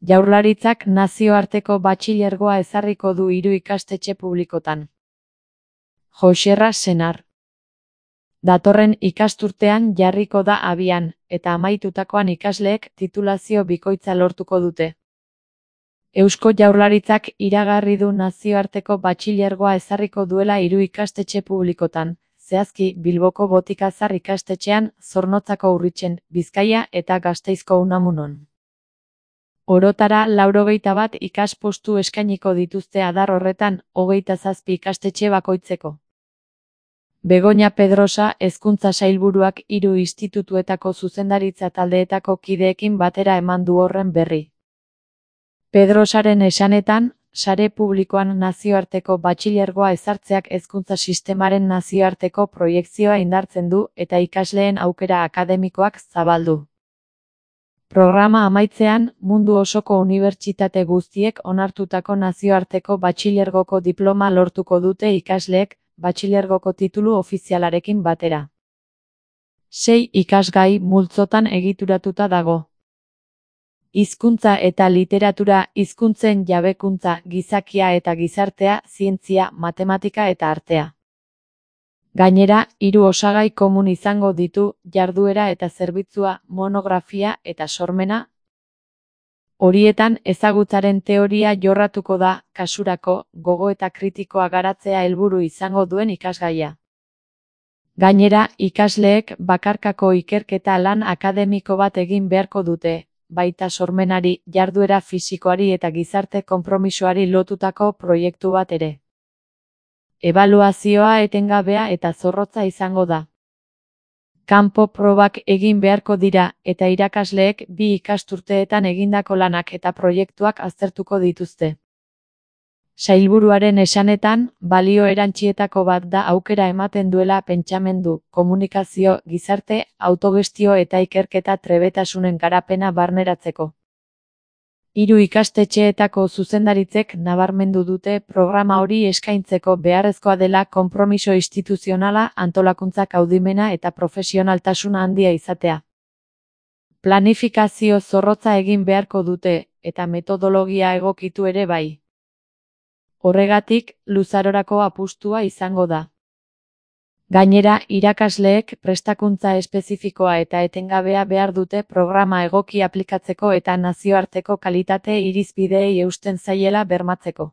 Jaurlaritzak nazioarteko batxilergoa ezarriko du 3 ikastetxe publikotan. Joxerra Senar. Datorren ikasturtean jarriko da abian, eta amaitutakoan ikasleek titulazio bikoitza lortuko dute. Eusko Jaurlaritzak iragarri du nazioarteko batxilergoa ezarriko duela 3 ikastetxe publikotan, zehazki Bilboko Botikazar ikastetxean, Zornotzako Urritzen, Bizkaia eta Gasteizko Unamunon. Orotara 91 ikaspostu eskainiko dituzte adar horretan, 27 ikastetxe bakoitzeko. Begoña Pedrosa Hezkuntza Sailburuak 3 institutuetako zuzendaritza taldeetako kideekin batera eman du horren berri. Pedrosaren esanetan, sare publikoan nazioarteko batxilergoa ezartzeak hezkuntza sistemaren nazioarteko proiekzioa indartzen du eta ikasleen aukera akademikoak zabaldu. Programa amaitzean, mundu osoko unibertsitate guztiek onartutako nazioarteko batxilergoko diploma lortuko dute ikasleek, batxilergoko titulu ofizialarekin batera. 6 ikasgai multzotan egituratuta dago. Hizkuntza eta literatura, hizkuntzen jabekuntza, gizakia eta gizartea, zientzia, matematika eta artea. Gainera, 3 osagai komun izango ditu, jarduera eta zerbitzua, monografia eta sormena. Horietan, ezagutzaren teoria jorratuko da, kasurako, gogoeta kritikoa garatzea helburu izango duen ikasgaia. Gainera, ikasleek bakarkako ikerketa lan akademiko bat egin beharko dute, baita sormenari, jarduera fisikoari eta gizarte konpromisoari lotutako proiektu bat ere. Ebaluazioa etengabea eta zorrotza izango da. Kanpo probak egin beharko dira eta irakasleek 2 ikasturteetan egindako lanak eta proiektuak aztertuko dituzte. Sailburuaren esanetan, balio erantzietako bat da aukera ematen duela pentsamendu, komunikazio, gizarte, autogestio eta ikerketa trebetasunen garapena barneratzeko. 3 ikastetxeetako zuzendaritzek nabarmendu dute programa hori eskaintzeko beharrezkoa dela konpromiso instituzionala, antolakuntza kaudimena eta profesionaltasuna handia izatea. Planifikazio zorrotza egin beharko dute, eta metodologia egokitu ere bai. Horregatik, luzarorako apustua izango da. Gainera, irakasleek prestakuntza espezifikoa eta etengabea behar dute programa egoki aplikatzeko eta nazioarteko kalitate irizpideei eusten zaiela bermatzeko.